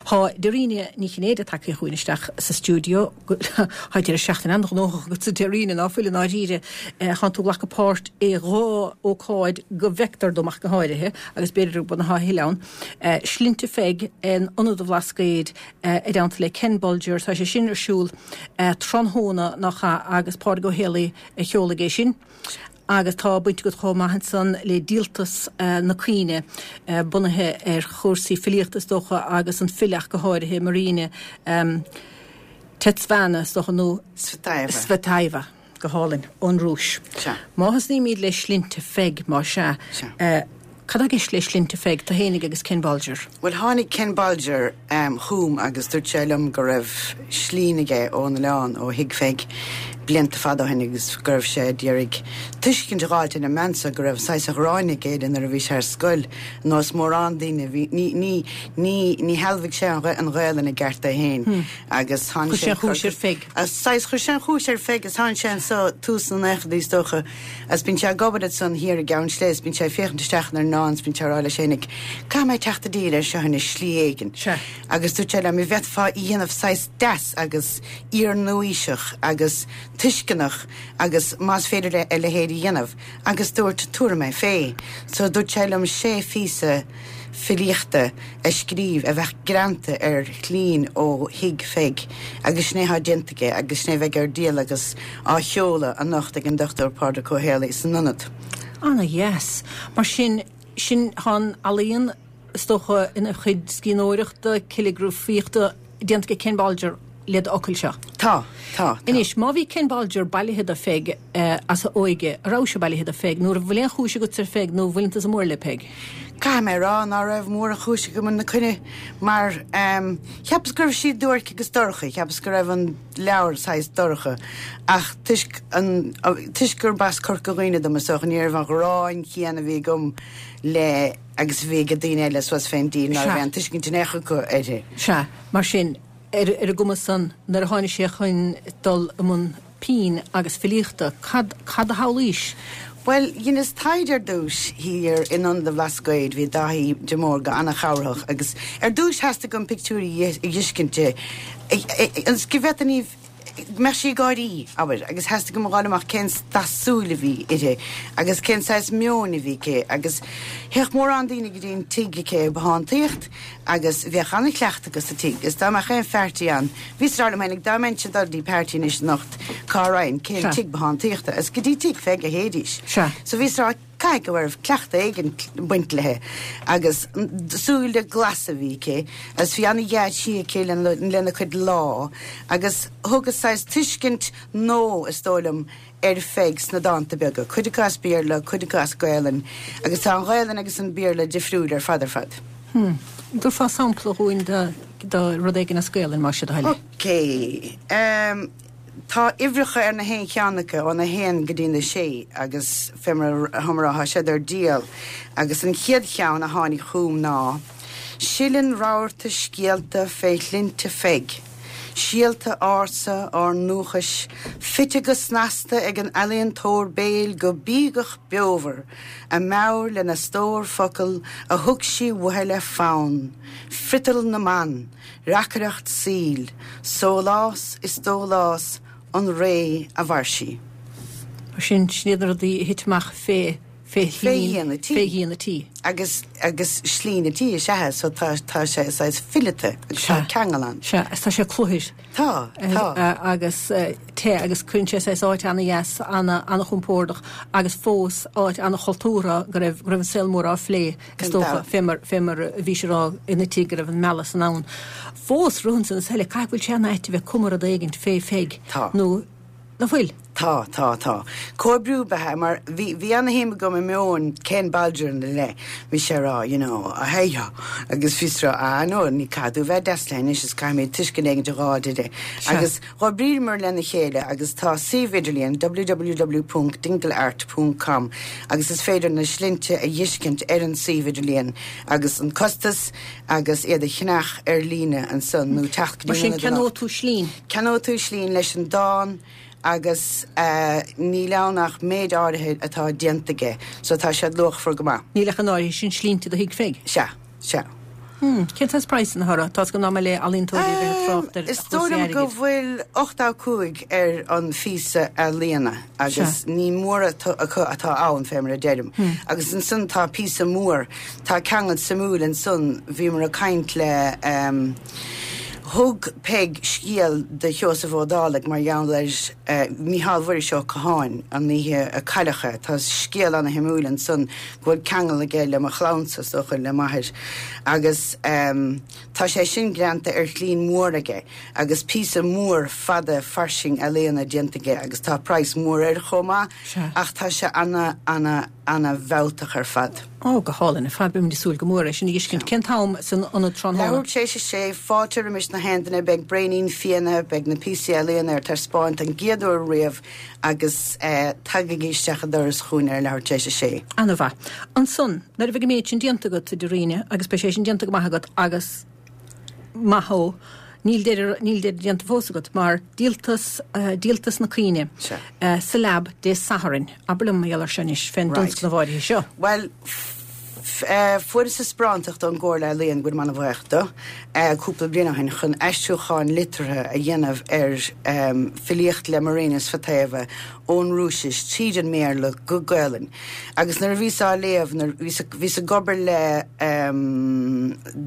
Tá Dairena Ní Chinnéide tagtha chugainn isteach sa stiúideo. Tá deireadh seachtaine an-ghnóthach agatsa Dairena, ná fuil i ndáiríre. Tánn tú ag glacadh páirt i dhá ócáid go bhfeictear dom ach go háirithe, agus b'fhéidir go bhfuil a thuilleadh ann. Slinnte Pheig in Ionad an Bhlascaoid i dteannta le Ken Bolger, tá sé sin ar siúl tráthnóna nach ea agus Pádraig Ó Héalaí a sheolfaidh é sin. Agus tá baint agat chomh maith ansan le Díoltas na Caoine, bunaithe ar chúrsaí filíochta is dócha agus an file ach go háirithe, Marina Tetsvana is dócha nó Tsvetaeva. Tsvetaeva, go hálainn, ón Rúis. Sea. Má thosnaímid le Slinnte Pheig, más ea. Sea. Cad tá i gceist le Slinnte Pheig, tú fhéinig agus Ken Bolger? Bhuel, tháinig Ken Bolger chugam agus dúirt sé liom go raibh slín aige ón oileán, ó Thigh Pheig, blianta fada ó shin agus go raibh sé d'iarraidh tuiscint a dh'fháilt ar an mbean so go raibh saghas ghráin aige uirthi nuair a bhí sé ar scoil, nós mórán daoine, bhí, ní, ní, ní, ní shealbhaigh sé an, an Ghaelainn i gceart é féin agus tháinig sé. Chuir sé an chúis ar Pheig. Saghas, chuir sé an chúis ar Pheig agus tháinig sé anso tús na naochadaí is dócha. Agus bíonn sé ag obair ansan thiar i gCeann Sléibhe is bíonn sé ag féachaint isteach inár ndán is bíonn sé ag rá leis fhéinig, 'Caithfidh mé teacht i dtír air seo anois, slí éigin. Sea. Agus dúirt sé liom, 'An bhféadfá í dhéanamh saghas deas agus iar-nua-aoiseach agus tuisceanach agus más féidir a leithéid a dhéanamh. Agus dúirt, 'Tabharfaidh mé fé. So dúirt sé liom sé phíosa filíochta a scríobh a bheadh greanta ar shlín ó Thigh Pheig agus sin é atá déanta aige agus sin é a bheidh ar díol agus á sheoladh anocht ag an Dr Pádraig Ó Héalaí san Ionad. Ana-dheas. Mar sin, sin, tá an ealaíon, is dócha, ina chuid scríbhneoireachta, ciligrafaíochta déanta ag Ken Bolger le d'fhocail seo. Tá, tá, tá. Anois, má bhí Ken Bolger bailithe do Pheig as a óige, a raibh sé bailithe do Pheig, nó an bhfuil aon chúis agatsa ar Pheig nó an bhfuileann tusa mór le Peig? Caithfidh mé a rá ná raibh mórán chúis agam ina coinne mar cheapas go raibh sí duairc agus dorcha, cheapas go raibh an leabhar saghas dorcha ach toisc an, toisc gurb as Corca Dhuibhne dom is dócha ní raibh an ghráin chéanna a bhí agam le agus a bhí ag daoine eile suas fén dtír ná raibh aon tuiscint in aon chor acu uirthi. Sea, mar sin, ar ar an gcuma san, nuair a tháinig sé chun dul i mbun pinn agus filíochta, cad, cad a shamhlaís? Bhuel, dheineas taighde ar dtúis thiar in Ionad an Bhlascaoid, bhí Dáithí de Mórdha ana-chabhrach agus ar dtúis theastaigh uaim pictiúirí a dh'fheiscint di, ionas go bhféadfainn í, go mbeadh sí ag gáirí, abair, agus theastaigh uaim a dh'fháil amach cén dath súil a bhí uirthi agus cén saghas meoin a bhí aici agus théadh mórán daoine go dtí an tigh aici ag bothántaíocht agus bheadh ana-chleachtadh acu sa tigh agus dá mbeadh aon phairtí ann, bhíos ag rá liom féinig dá mbeinnse ag dul dtí pairtí anois anocht cá raghainn, cén tigh bothántaíochta agus go dtí tigh Pheig a théidís. So bhíos ag rá Caithfidh go raibh cleachtadh éigin ag baint léi agus súile glasa a bhí aici agus bhí ana-dhea-thrí aici lena cuid lámh agus thugas saghas tuiscint nua, is dóigh liom, ar Pheig sna dánta beaga, cuid acu as Béarla, cuid acu as Gaelainn agus tá an Ghaelainn agus an Béarla difriúil ar fad ar fad. Hm. Dtabharfá sampla dhúinn de rud éigin as Gaelainn, más é do thoil é? Ok. Ehm. Tá uimhreacha ar na haon cheann acu, óna haon go dtí na sé, agus fé mar a rá, tá siad ar díol. Agus an chéad cheann a tháinig chugam ná, Sileann rabharta scéalta fé shlinnte Pheig, síolta ársa ár ndúchais, fite go snasta ag an ealaíontóir béil go bíogach beomhar, a meabhair lena stór focal a thug sí uaithi le fonn, friotal na mban. Reacaireacht saoil, sólás is dólás an ré a mhair sí. Mar sin, sin iad na rudaí a thit amach fé, fé Fé dhíon a tí. Fé dhíon a tí. Agus, agus slí na tí is ea é, so tá, tá sé saghas fileata agus tá ceangal ann. Sea, agus tá sé cluthair. Tá, tá. Agus te agus cuireann sé saghas áit ana-dheas, ana, ana-chompordach agus fós áit ana-chultúrtha go raibh, go raibh an saol mór á phlé. Is dócha, fé mar, fé mar a bhí sé a rá ina tigh go raibh an mealladh san ann. Fós, ritheann san is eile, caithfidh go bhfuil sé ana-ait a bheith ag cumadh rud éigint fé Pheig. Tá. Nó, ná fuil? Tá, tá, tá. Comhoibriú ab ea é, mar bhí, bhí ana-shuim agam i meon Ken Bolger ina leith. Bhí sé ag rá, you know, hey, agus bhíos ag rá, ah, no, ní caithfidh tú bheith deas léi anois is caithfimid tuiscint éigint a dh'fháil di. Sea. Agus Dh'oibríomar lena chéile agus tá suíomh idirlíon www ponc dingleart ponc com agus is féidir na slinnte a dh'fheiscint ar an suíomh idirlíon agus an costas agus iad a cheannach ar líne ansan nó teacht go dtí an Mar sin ionad anocht. ceannóidh tú slinn? Ceannóidh tú slinn leis an dán agus níl ann ach méid áirithe atá déanta aige so tá siad luachmhar go maith. Níl ach in áirithe sin slinnte do Thigh Pheig? Sea, sea. Cén saghas praghsanna atá orthu? Tá's agam nach maith le ealaíontóirí a bheith ag trácht ar Is dóigh liom go bhfuil 85 ar an phíosa ealaíona agus ní mórán acu atá ann fé mar a deirim. Agus ansan tá píosa mór, tá ceangal suimiúil ansan, bhíomar ag caint le thug Peig scéal do Sheosamh Ó Dálaigh mar gheall ar Mícheál Mhuiris Ó Catháin an oíche a cailleadh é. Tá scéal ana-shuimiúil ansan go bhfuil ceangal aige le mo chlannsa, is dócha, le m'athair. Agus tá sé sin greanta ar shlín mhór aige agus píosa mór fada fairsing ealaíona déanta aige agus tá praghas mór air chomh maith ach tá sé ana, ana, ana mhealltach ar fad. Ó, go hálainn ar fad. Beimid ag súil go mór é sin a fheiscint. Cén t-am san ionad tráthnóna? Leathuair tar éis a sé, fáilte roimis na haon duine. Beidh braoinín fíona, beidh na píosaí ealaíona ar taispeáint don gcéad uair riamh Agus tagaigí isteach an doras chugainn ar leathuair tar éis a sé. Ana-mhaith. Ansan, nuair a bheidh an méid sin déanta agat, a Dairena, agus beidh sé sin déanta go maith agat, agus maith thú, níl deireadh, níl deireadh déanta fós agat, mar díoltas, díoltas na Caoine sa Lab Dé Sathairn. Abair liom mar gheall air seo anois, fén dtionscnamh áirithe seo. Bhuel, fuaireas taispeántacht ón gComhairle Ealaíon, go bhfuilim ana-bhuíoch dó, cúpla bliain ó shin chun aistriúchán liteartha a dhéanamh ar filíocht le Marina Tsvetaeva ón Rúisis tríd an mBéarla go Gaelainn. Agus nuair a bhíos á léamh, nuair bhíos, bhíos ag obair le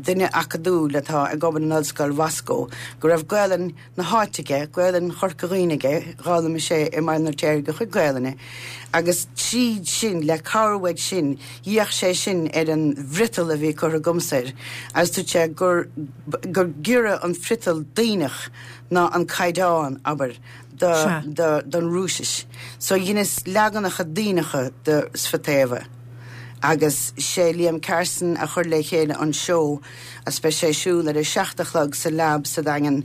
duine acadúil atá ag obair in Ollscoil Mhoscó, go raibh Gaelainn na háite aige, Gaelainn Chorca Dhuibhne aige, d'fhoghlaim sé i mBaile an Fheirtéaraigh a chuid Gaelainne, agus tríd sin, le cabhair uaidh sin, d'fhéach sé sin ar an bhfriotal a bhí curtha agamsa air, agus dúirt sé gur, gur giorra an friotal Duibhneach ná an caighdeán, abair, do, do, don Rúisis. So dheineas leaganacha Duibhneacha de Tsvetaeva. Agus sé Liam Carson a chuir le chéile an seó, Agus beidh sé ar siúl ar a 7 a chlog sa Lab sa Daingean.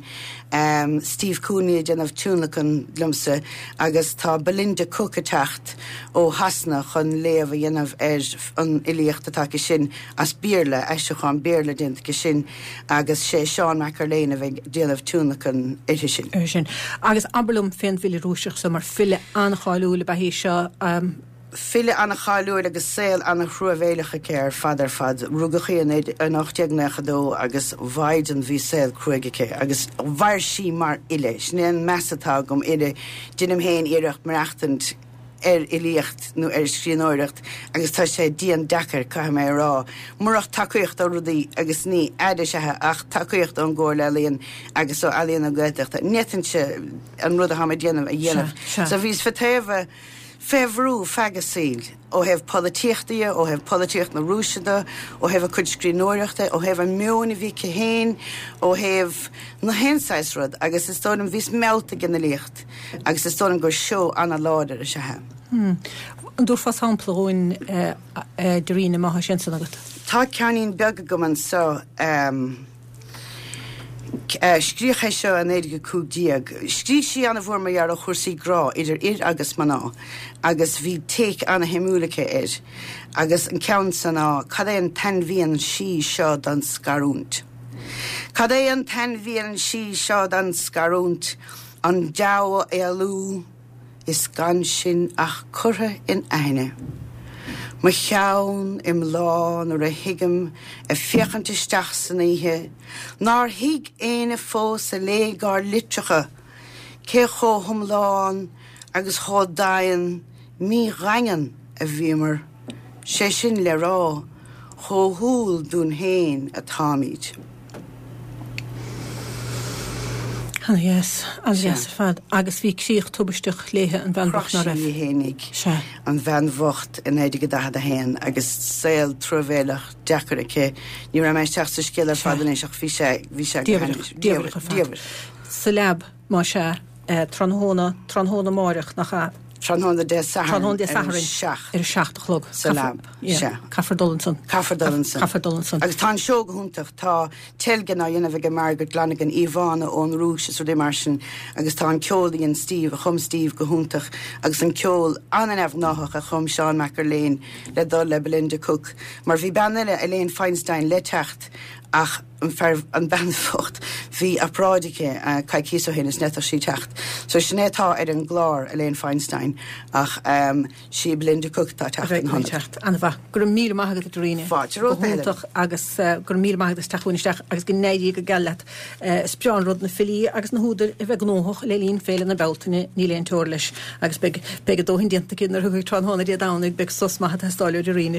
Steve Cooney ag déanamh tionlacan liomsa agus tá Belinda Cook ag teacht ó Shasana chun léamh a dhéanamh ar an fhilíocht atá aici sin as Béarla, aistriúchán Béarla déanta aici sin agus sé Seán Mac Erlaine a bheidh ag déanamh tionlacan uirthi sin. uirthi sin. Agus abair liom fén bhfile Rúiseach seo mar file an-cháiliúil ab ea í seo. File an-cháiliúil agus saol an-thruamhéileach aici ar fad ar fad. Rugadh í in 1892 agus mhaighdean bhí saol cruaidh aici agus mhair sí mar fhile. Sin é an meas atá agam uirthi. Deinim féin iarracht maireachtaint ar fhilíocht nó ar scríbhneoireacht agus tá sé dian deacair, caithfidh mé a rá. Murach tacaíocht ó rudaí agus ní aire is ea ach tacaíocht ón gComhairle Ealaíon agus ó Ealaíon na Gaeltachta, ní fhéadfainnse an rud atáim ag déanamh a dhéanamh. So bhí Tsvetaeva. Fé bhrú feadh a saoil, ó thaobh polaitíochta dhe, ó thaobh polaitíocht na Rúise de, ó thaobh a cuid scríbhneoireachta, ó thaobh an meoin a bhí aici féin, ó thaobh na haon saghas rud, agus is dóigh liom, bhíos meallta ag an fhilíocht agus is dóigh liom gur seó ana-láidir is ea é. An dtabharfá sampla dhúinn, a Dairena, má tá sé ansan agat? Tá ceainnín beag agam anso. Scríodh é seo i 1915. Scrígh sí ana-mhór mar gheall ar chúrsaí grá idir fhir agus mná agus bhí take ana-shuimiúil aici air agus an ceann seo ná Cad é an t-ainmhian sí seo don scarúint? Cad é an t-ainmhian sí seo don scarúint? An deabhadh a éalú? Is gan sinn ach curtha in aithne. Mo cheann i mbláth nuair a thigim ag féachaint isteach san oíche nár thuig éinne fós a léigh ár litreacha cé chomh hiomlán agus chomh daighean mídhaingean a bhíomar, sé sin le rá, chomh humhal dúinn féin atáimid. Ana-dheas, ana-dheas ar fad. Agus bhí críoch tubaisteach léithe, an bhean bhocht, ná raibh? Chroch sí í fhéinig, an bhean bhocht, i 1941 agus saol truamhéileach deacair aici. Ní raibh mé isteach sa scéal ar fad anois ach bhí sé, bhí sé go hainnis. Diamhrach, diamhrach ar fad. Sa Lab, más ea, tráthnóna, tráthnóna amáireach, nach ea? Tráthnóna Dé Sathairn Tráthnóna Dé Sathairn ar a 7 a chlog. Sa Lab, sea. Caithfear dul ansan. Caithfear dul ansan. Caithfear dul ansan. Agus tá an seó go hiontach. Tá teilgean á dhéanamh aige Margaret Lonergan, íomhánna ón Rúis is rudaí mar sin agus tá an ceol a dhein Steve, a chum Steve go hiontach agus an ceol an-neamhghnáthach a chum Seán Mac Erlaine le dul le Belinda Cook mar bhí bean eile, Elaine Feinstein, le teacht ach an fear, an bhean bhocht. Bhí obráid aici coicíos ó shin is n'fhéadfadh sí teacht. So sin é atá ar an gclár, Elaine Feinstein, ach sí Belinda Cooke atá ag teacht ina hionad. Teacht. An-mhaith. Go raibh míle maith agat a Dhoirín. Fáilte romhat, a Helen. Go hiontach agus go raibh míle maith agat as teacht chugainn isteach agus go n-éirí go geal leat. Is breá an rud na filí agus na húdair a bheith gnóthach le linn Féile na Bealtaine, níl aon teora leis. Agus beidh, beidh a dóthain déanta acu nuair a thiocfaidh tráthnóna Dé Domhnaigh, beidh sos maith ag teastáil ó Dhoirín.